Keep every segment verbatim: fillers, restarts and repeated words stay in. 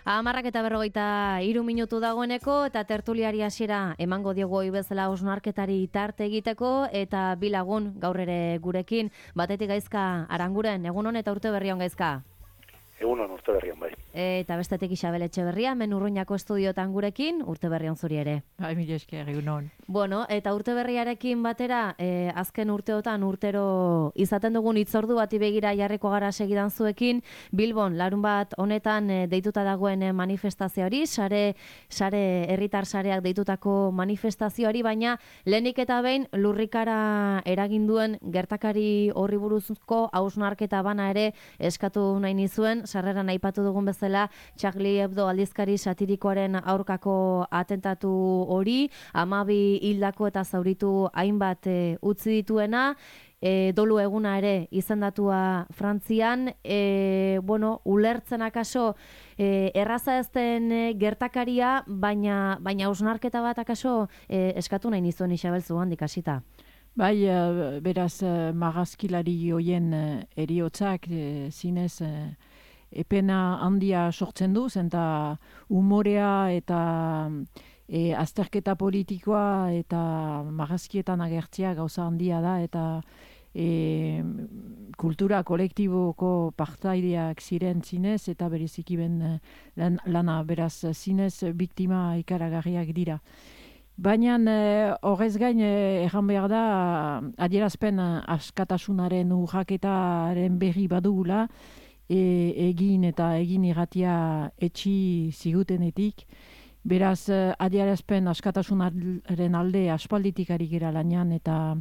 Hamarrak eta berrogeita hiru minutu dagoeneko eta tertuliari hasiera emango diogu ohi bezala hausnarketari tarte egiteko eta bi lagun gaur ere gurekin. Batetik Gaizka Aranguren, egun on eta urte berri on Gaizka. Egun on, urte berri on bai. Eta bestetik Isabel Etxeberria, hemen Urruñako estudiotan gurekin, urte berri on zuri ere. Bai, mila esker, egun on. Bueno, eta urte berriarekin batera, eh, azken urteotan urtero izaten dugun hitzordu bati begira jarriko gara segidan zuekin, Bilbon larun bat honetan eh, deituta dagoen eh, manifestazioari, sare sare herritar sareak deitutako manifestazioari, baina lehenik eta behin lurrikara eragin duen gertakari horri buruzko hausnarketa bana ere eskatu nahi nizuen, sarreran aipatu dugun bezala Charlie Hebdo aldizkari satirikoaren aurkako atentatu hori, hamabi hildako eta zauritu hainbat e, utzi dituena, e, dolu eguna ere izendatua Frantzian, e, bueno, ulertzen akaso e, erraza ez den e, gertakaria, baina baina hausnarketa bat akaso e, eskatu nahi nizuen Isabel zugandik hasita. Bai, uh, beraz, uh, marrazkilari hoien uh, eriotzak, uh, zinez, uh, epena handia sortzen du, zenta umorea eta e, azterketa politikoa eta marrazkietan agertzea gauza handia da, eta e, kultura kolektiboko partaideak ziren zinez, eta bereziki ben lan, lana beraz zinez biktima ikaragarriak dira. Baina horrez gain erran behar da adierazpen askatasunaren urraketaren berri badugula, e, egin eta egin irratia etxi zigutenetik. Beraz, adierazpen askatasunaren alde aspalditik ari gera lanean, eta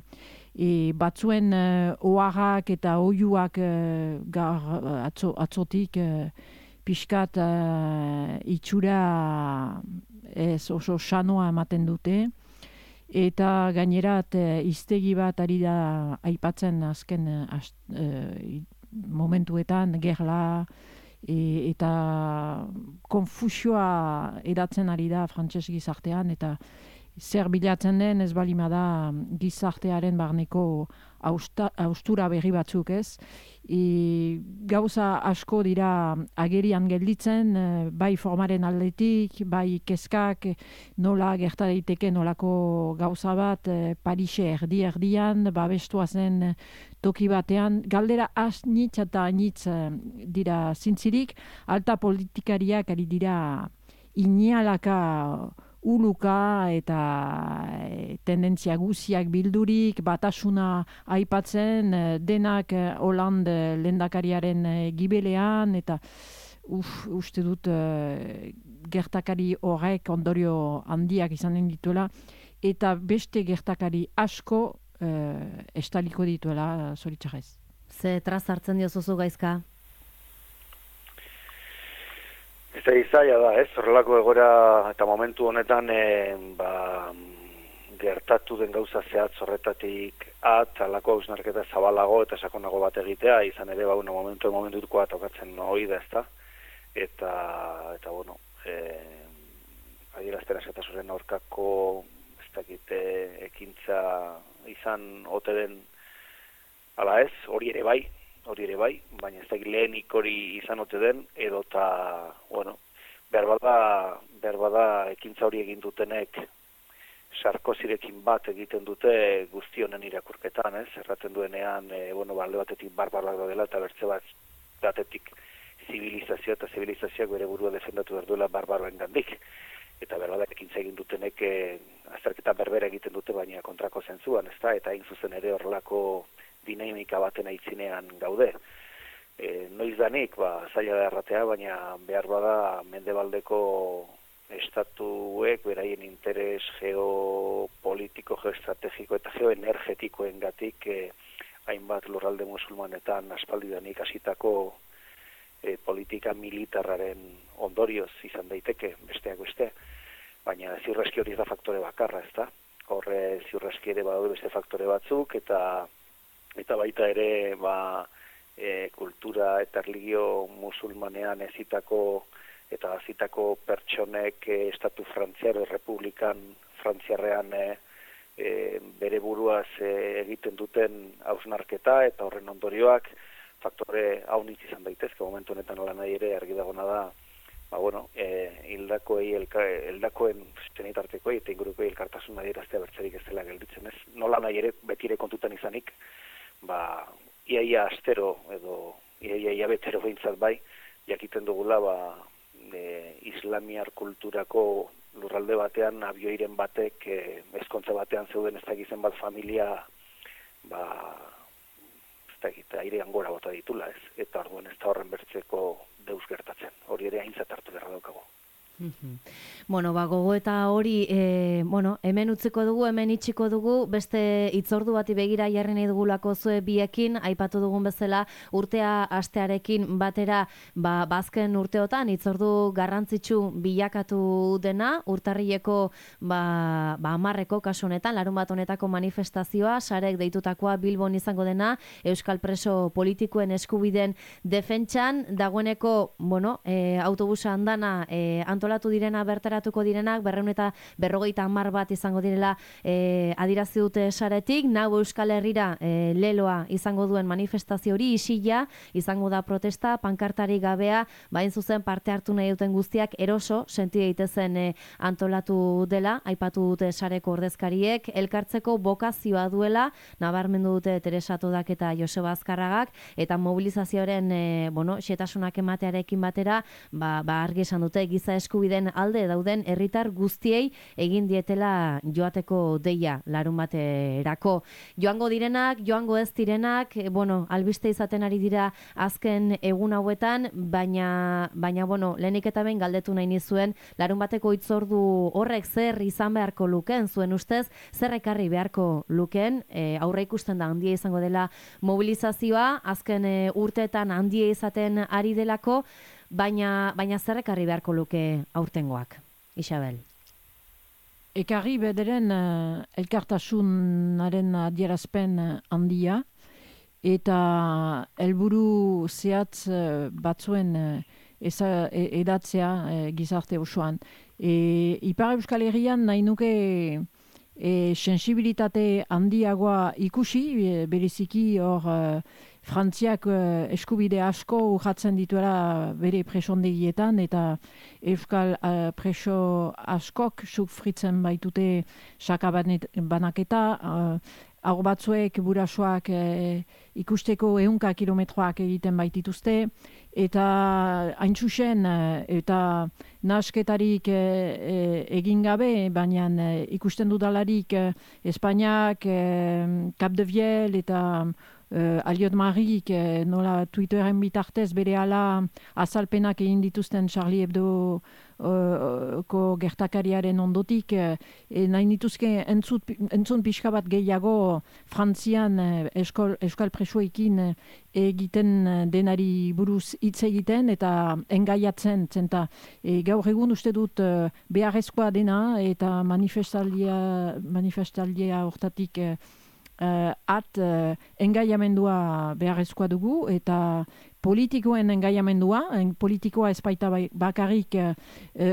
e, batzuen e, oharrak eta oiuak e, gar, atzo, atzotik e, pixkat e, itxura ez oso sanoa ematen dute, eta gainerat e, hiztegi bat ari da aipatzen azken as, e, momentuetan gerla e, eta konfusioa edatzen ari da frantses gizartean, eta zer bilatzen den ez balima da gizartearen barneko austa, austura berri batzuk ez. E, gauza asko dira agerian gelditzen, bai formaren aldetik, bai kezkak, nola gerta daiteke nolako gauza bat Parise erdi erdian, babestua zen toki batean, galdera asnitz eta anitz dira zintzirik, alta politikariak ari dira inialaka uluka eta e, tendentzia guziak bildurik, batasuna aipatzen, e, denak e, Hollande lehendakariaren e, gibelean, eta uf, uste dut e, gertakari horrek ondorio handiak izanen dituela, eta beste gertakari asko e, estaliko dituela zoritxarrez. Ze traz hartzen diozuzu Gaizka? Ez da izaia da, ez, horrelako egora eta momentu honetan e, ba, gertatu den gauza zehatz horretatik at, alako hausnarketa zabalago eta sakonago bat egitea, izan ere ba, bueno, momentu momentukoa tokatzen hori da, ez da, eta, eta bueno, e, adierazten askatasunen aurkako, ez dakite, ekintza izan ote den, ala ez, hori ere bai, hori ere bai, baina ez da lehenik hori izan ote den, edo eta, bueno, behar bada, behar bada ekintza hori egin dutenek Sarkozirekin bat egiten dute guztionen irakurketan, ez? Erraten duenean, e, bueno, balde batetik barbaroak dela, eta bertze bat batetik zibilizazioa eta zibilizazioak bere burua defendatu behar duela barbaroen gandik. Eta behar bada ekintza egin dutenek e, azterketa berbera egiten dute, baina kontrako zentzuan, ez da? Eta hain zuzen ere horrelako dinamika baten aitzinean gaude. E, noiz danik, ba, zaila da erratea, baina behar bada mendebaldeko estatuek beraien interes geopolitiko, geoestrategiko eta geoenergetikoen gatik e, hainbat lurralde musulmanetan aspaldidanik hasitako e, politika militarraren ondorioz izan daiteke, besteak beste, baina ziurreski hori da faktore bakarra, ez da? Horre ziurreski ere badaude beste faktore batzuk, eta eta baita ere ba, e, kultura eta erlijio musulmanean ezitako eta azitako pertsonek e, estatu frantziar, republikan frantziarrean e, e, bere buruaz e, egiten duten hausnarketa eta horren ondorioak faktore haunitz izan daitezke momentu honetan ala nahi ere argi dagona da ba, bueno, e, hildakoei, elka, hildakoen zenitartekoei eta ingurukoei elkartasun adieraztea bertzerik ez dela gelditzen ez. Nola nahi ere, betire kontutan izanik, ba, iaia astero edo iaia ia betero behintzat bai, jakiten dugula, ba, e, islamiar kulturako lurralde batean, abioiren batek, e, ezkontza batean zeuden ez dakizen bat familia, ba, ez dakit, airean gora bota ditula ez, eta orduan ez da horren bertzeko deus gertatzen, hori ere aintzat hartu beharra daukago. Bueno, ba, gogo eta hori, e, bueno, hemen utziko dugu, hemen itxiko dugu, beste itzordu bati begira jarri nahi dugulako zue biekin, aipatu dugun bezala urtea astearekin batera, ba, bazken urteotan, itzordu garrantzitsu bilakatu dena, urtarrileko, ba, ba amarreko kasu honetan, larun bat honetako manifestazioa, sarek deitutakoa Bilbon izango dena, euskal preso politikoen eskubideen defentsan, dagoeneko, bueno, e, autobusa andana e, antolatu direna, bertaratuko direnak, berreun eta berrogeita hamar bat izango direla e, adirazi dute saretik, nau Euskal Herrira e, leloa izango duen manifestazio hori, isila, izango da protesta, pankartari gabea, bain zuzen parte hartu nahi duten guztiak eroso, senti daitezen e, antolatu dela, aipatu dute sareko ordezkariek, elkartzeko bokazioa duela, nabarmendu dute Teresa Todak eta Joseba Azkarragak, eta mobilizazioaren e, bueno, xetasunak ematearekin batera, ba, ba argi esan dute giza eskubideen alde dauden herritar guztiei egin dietela joateko deia larun baterako. Joango direnak, joango ez direnak, bueno, albiste izaten ari dira azken egun hauetan, baina, baina bueno, lehenik eta behin galdetu nahi nizuen, larun bateko hitzordu horrek zer izan beharko lukeen, zuen ustez, zer ekarri beharko lukeen, e, aurre ikusten da handia izango dela mobilizazioa, azken e, urteetan handia izaten ari delako, baina, baina zer ekarri beharko luke aurtengoak, Isabel? Ekarri bederen uh, elkartasunaren adierazpen handia, eta helburu zehatz uh, batzuen uh, eza, e, edatzea uh, gizarte osoan. E, Ipar Euskal Herrian nahi nuke e, sensibilitate handiagoa ikusi, e, bereziki hor uh, Frantziak uh, eskubide asko urratzen dituela bere presondegietan, eta Euskal uh, preso askok sufritzen baitute sakabanaketa, uh, hau batzuek burasoak eh, ikusteko ehunka kilometroak egiten baitituzte, eta hain zuzen, eta nasketarik eh, egin gabe, baina eh, ikusten dudalarik eh, Espainiak, eh, Cap de Viel eta eh, Aliot Marik eh, nola Twitteren bitartez bere ala azalpenak egin dituzten Charlie Hebdo ko gertakariaren ondotik, e, nahi nituzke entzut, entzun pixka bat gehiago Frantzian eskol, euskal presoekin egiten denari buruz hitz egiten eta engaiatzen, zenta e, gaur egun uste dut beharrezkoa dena eta manifestaldia, manifestaldia hortatik e, at e, engaiamendua beharrezkoa dugu eta politikoen engaiamendua, en politikoa espaita bakarrik uh,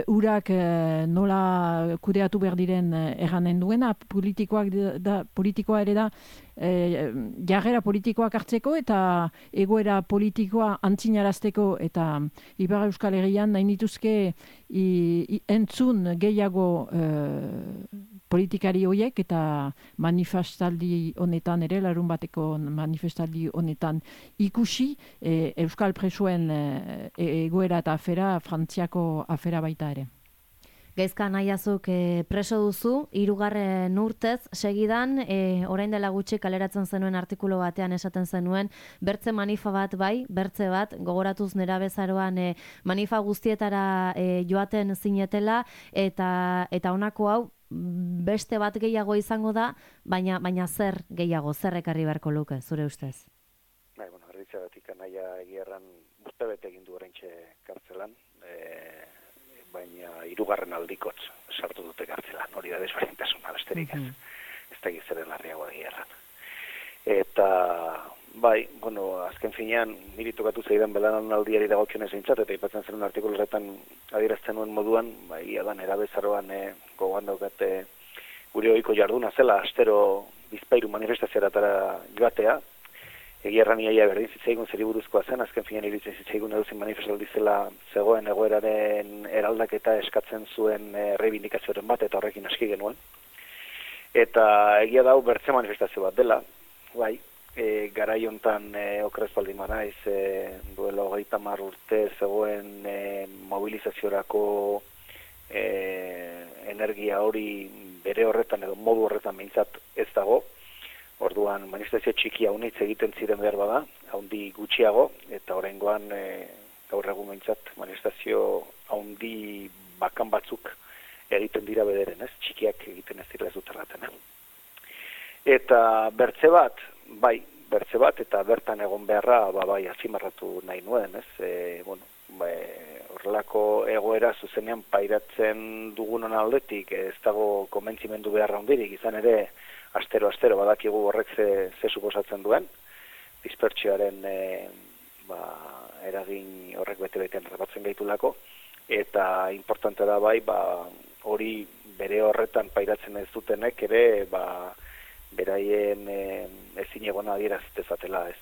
urak uh, nola kudeatu behar diren uh, erranen duena, politikoak da, politikoa ere da uh, jarrera politikoak hartzeko eta egoera politikoa antzinarazteko, eta Ipar Euskal Herrian nahi nituzke i, i, entzun gehiago uh, politikari horiek eta manifestaldi honetan ere, larun bateko manifestaldi honetan ikusi, e, Euskal presoen e, egoera eta afera, Frantziako afera baita ere. Gaizka nahiazuk e, preso duzu, hirugarren urtez segidan, e, orain dela gutxi kaleratzen zenuen artikulu batean esaten zenuen, bertze manifa bat bai, bertze bat, gogoratuz nera bezaroan e, manifa guztietara e, joaten zinetela, eta, eta honako hau, beste bat gehiago izango da, baina baina zer gehiago, zer ekarri beharko luke, zure ustez? Bai, bueno, erditzegatik anaia egierran urte bete egin du oraintxe kartzelan, e, baina hirugarren aldikotz sartu dute kartzelan, hori da desberdintasuna besterik ez, mm-hmm. ez da gizeren larriagoa egierran. Eta, bai, bueno, azken finean, niri tokatu zeidan belanan aldiari dagokionez eintzat, eta ipatzen zen un artikulu horretan adierazten nuen moduan, bai, adan erabezaroan e, gogoan daukate gure ohiko jarduna zela, astero bizpairu manifestazioetara joatea, egia erran iaia berdin zitzaigun zeri buruzkoa zen, azken finean iruditzen zitzaigun eduzin manifestaldi zela zegoen egoeraren eraldaketa eskatzen zuen e, reivindikazioaren bat, eta horrekin aski genuen. Eta egia dau bertze manifestazio bat dela, bai, e, garai hontan e, okrez baldin manaiz, e, duela hogeita hamar urte zegoen e, mobilizaziorako e, energia hori bere horretan edo modu horretan behintzat ez dago. Orduan manifestazio txiki haunitz egiten ziren behar bada, haundi gutxiago, eta oraingoan e, gaur egun behintzat manifestazio haundi bakan batzuk egiten dira bederen, ez? Txikiak egiten ez dira ez dut erraten, eh? Eta bertze bat, bai, bertze bat, eta bertan egon beharra, ba, bai, azimarratu nahi nuen, ez? E, bueno, bai, horrelako egoera zuzenean pairatzen dugunon aldetik, ez dago konbentzimendu beharra hundirik, izan ere, astero-astero badakigu horrek ze, ze suposatzen duen, dispertsioaren e, ba, eragin horrek bete-betean rapatzen gaitulako, eta importante da bai, ba, hori bere horretan pairatzen ez dutenek ere, ba, beraien e, ezin egona adieraz dezatela ez.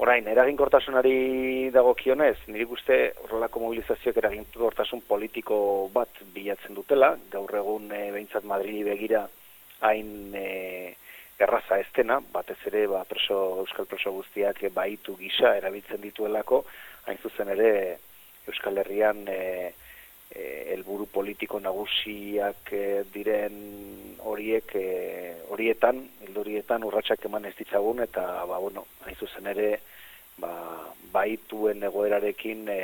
Orain, eraginkortasunari dagokionez, nire uste horrelako mobilizazioak eraginkortasun politiko bat bilatzen dutela, gaur egun e, behintzat Madrili begira hain e, erraza estena, batez ere ba, preso, euskal preso guztiak e, baitu gisa erabiltzen dituelako, hain zuzen ere Euskal Herrian e, e, helburu politiko nagusiak e, diren horiek e, horietan, hildo horietan urratsak eman ez ditzagun, eta ba, bueno, hain zuzen ere ba, baituen egoerarekin e,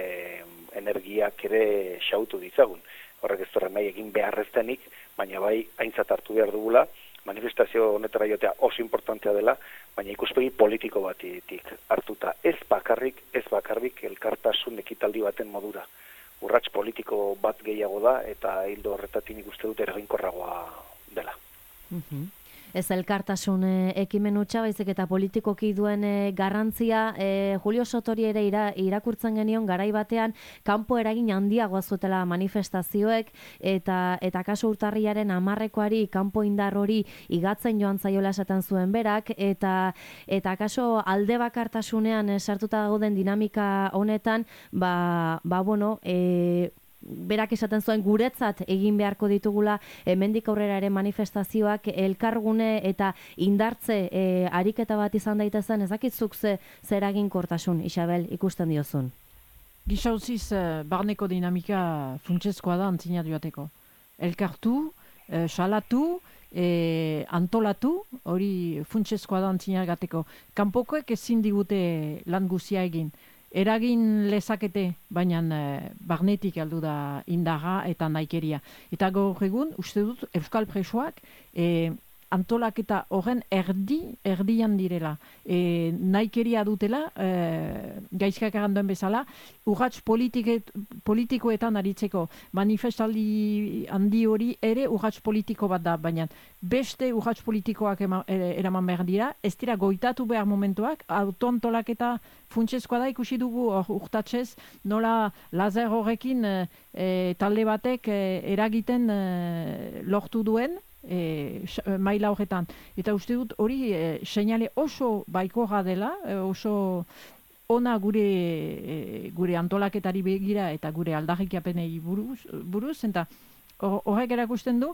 energiak ere xautu ditzagun. Horrek ez torren nahi egin beharreztenik, baina bai aintzat hartu behar dugula, manifestazio honetara jotea oso importantea dela, baina ikuspegi politiko batetik hartuta. Ez bakarrik, ez bakarrik elkartasun ekitaldi baten modura. Urrats politiko bat gehiago da, eta hildo horretatik nik uste dut eraginkorragoa dela. Uh-huh. Ez elkartasun e, ekimen hutsa, baizik eta politikoki duen e, garrantzia, e, Julio Sotori ere ira, irakurtzen genion garai batean kanpo eragin handiagoa zutela manifestazioek, eta eta kasu urtarriaren hamarrekoari kanpo indar hori igatzen joan zaiola esaten zuen berak, eta eta kaso alde bakartasunean e, sartuta dauden dinamika honetan, ba, ba bueno, e, berak esaten zuen guretzat egin beharko ditugula hemendik aurrera ere manifestazioak elkargune eta indartze e, ariketa bat izan daitezen, ez dakitzuk ze zeraginkortasun, Isabel, ikusten diozun. Gizauziz, barneko dinamika funtsezkoa da antzina joateko. Elkartu, eh, salatu, eh, antolatu, hori funtsezkoa da antzina gateko. Kanpokoek ezin digute lan guzia egin. Eragin lezakete, baina e, barnetik heldu da indarra eta naikeria. Eta gaur egun, uste dut, euskal presoak e, antolaketa horren erdi, erdian direla. E, naikeria dutela, e, gaizkak erranduen bezala, urrats politikoetan aritzeko. Manifestaldi handi hori ere urrats politiko bat da, baina beste urrats politikoak ema, eraman behar dira, ez dira goitatu behar momentuak, autoantolaketa funtsezkoa da, ikusi dugu urtatzez, nola lazer horrekin e, talde batek e, eragiten e, lortu duen, E, maila horretan. Eta uste dut hori e, seinale oso baikorra dela, e, oso ona gure e, gure antolaketari begira eta gure aldarrikapenei buruz, buruz eta horrek erakusten du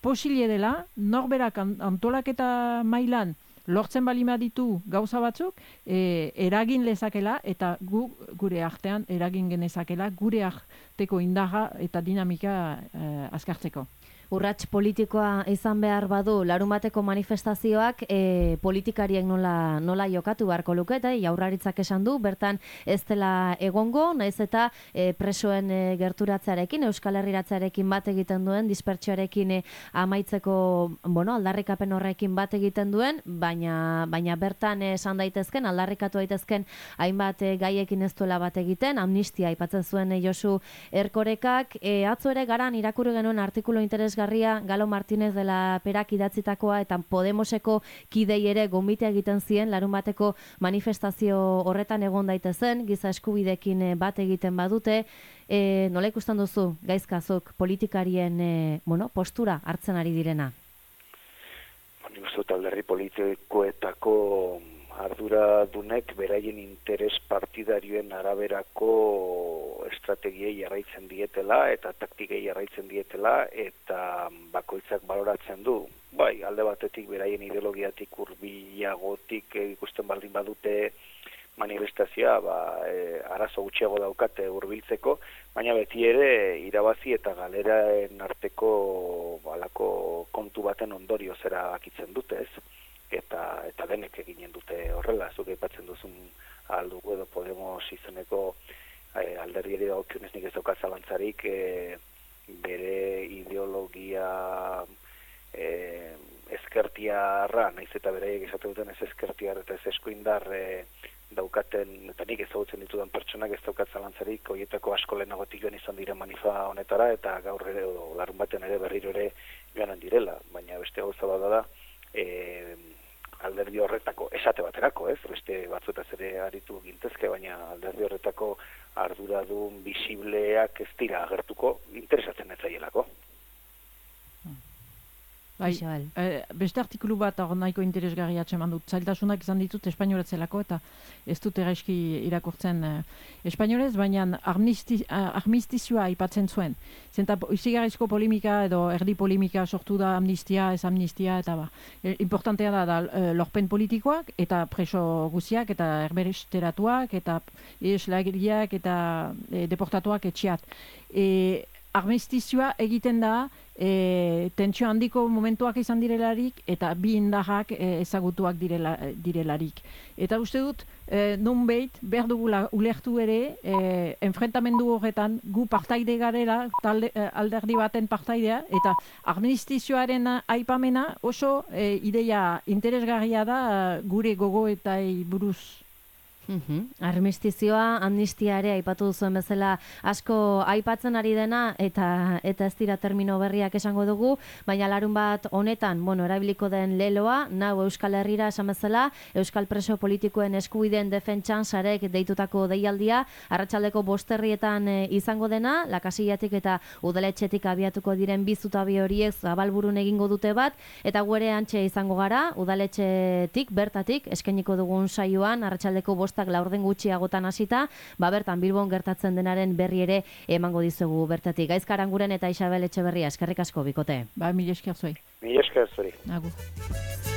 posile dela norberak antolaketa mailan lortzen balima ditu gauza batzuk, e, eragin lezakela eta gu, gure artean eragin genezakela gure arteko indarra eta dinamika e, azkartzeko. Urrats politikoa izan behar badu larunbateko manifestazioak e, politikariek nola, nola jokatu beharko luke, eta Jaurlaritzak esan du, bertan ez dela egongo, naiz eta e, presoen e, gerturatzearekin, Euskal Herriratzearekin bat egiten duen, dispertsioarekin e, amaitzeko, bueno, aldarrikapen horrekin bat egiten duen, baina, baina bertan esan daitezken, aldarrikatu daitezken hainbat e, gaiekin ez duela bat egiten, amnistia aipatzen zuen e, Josu Erkorekak, e, atzo ere garan irakurri genuen artikulu interes Garria, Galo Martínez de la Perak idatzitakoa eta Podemoseko kidei ere gonbitea egiten zien larunbateko manifestazio horretan egon daitezen, giza eskubidekin bat egiten badute. E, nola ikusten duzu, gaizkazuk, politikarien e, bueno, postura hartzen ari direna? Nik uste dut alderdi politikoetako arduradunek beraien interes partidarioen araberako estrategiei jarraitzen dietela eta taktikei jarraitzen dietela eta bakoitzak baloratzen du. Bai, alde batetik beraien ideologiatik hurbilagotik ikusten baldin badute manifestazioa, ba, e, arazo gutxiago daukate hurbiltzeko, baina beti ere irabazi eta galeraen arteko balako kontu baten ondorio zera bakitzen dute, ez? Eta, eta denek eginen dute horrela, zuk aipatzen duzun aldugu edo Podemos izeneko e, alderdiari dagokionez nik ez daukat zalantzarik e, bere ideologia e, ezkertiarra, naiz eta beraiek esate duten ez ezkertiar eta ez eskuindar e, daukaten, eta nik ezagutzen ditudan pertsonak ez daukat zalantzarik, horietako asko lehenagotik joan izan diren manifa honetara, eta gaur ere, o, larun baten ere berriro ere joanen direla, baina beste gauza bada da, e, alderdi horretako, esate baterako, ez, beste batzuetaz ere aritu gintezke, baina alderdi horretako arduradun bisibleak ez dira agertuko, interesatzen ez zaielako. Bai, e, beste artikulu bat hor nahiko interesgarria atseman dut. Zailtasunak izan ditut espainoletzelako eta ez dut eraizki irakurtzen e, espainolez, baina armisti, armistizioa aipatzen zuen. Zenta izigarrizko polimika edo erdi polimika sortu da amnistia, ez amnistia, eta ba. E, importantea da, da e, lorpen politikoak eta preso guziak eta erberesteratuak eta eslagiriak eta e, deportatuak etxiat. E, armistizioa egiten da E, tentsio handiko momentuak izan direlarik eta bi indarrak e, ezagutuak direla, direlarik. Eta uste dut, e, nonbait, behar dugula ulertu ere, e, enfrentamendu horretan gu partaide garela, talde, e, alderdi baten partaidea, eta armistizioaren aipamena oso e, ideia interesgarria da gure gogo eta buruz. Uhum. Armistizioa, amnistia ere aipatu duzuen bezala asko aipatzen ari dena eta eta ez dira termino berriak esango dugu, baina larun bat honetan, bueno, erabiliko den leloa, nau Euskal Herrira esan bezala, Euskal preso politikoen eskubideen defentsan sarek deitutako deialdia, arratsaldeko bosterrietan e, izango dena, Lakasillatik eta udaletxetik abiatuko diren bizutabi horiek zabalburun egingo dute bat, eta guere antxe izango gara, udaletxetik, bertatik, eskainiko dugun saioan, arratsaldeko bost laurden gutxiagotan hasita, ba bertan Bilbon gertatzen denaren berri ere emango dizugu bertatik. Gaizka Aranguren eta Isabel Etxeberria, eskerrik asko bikote. Ba, mila esker zuei. Mila esker zuei. Agur.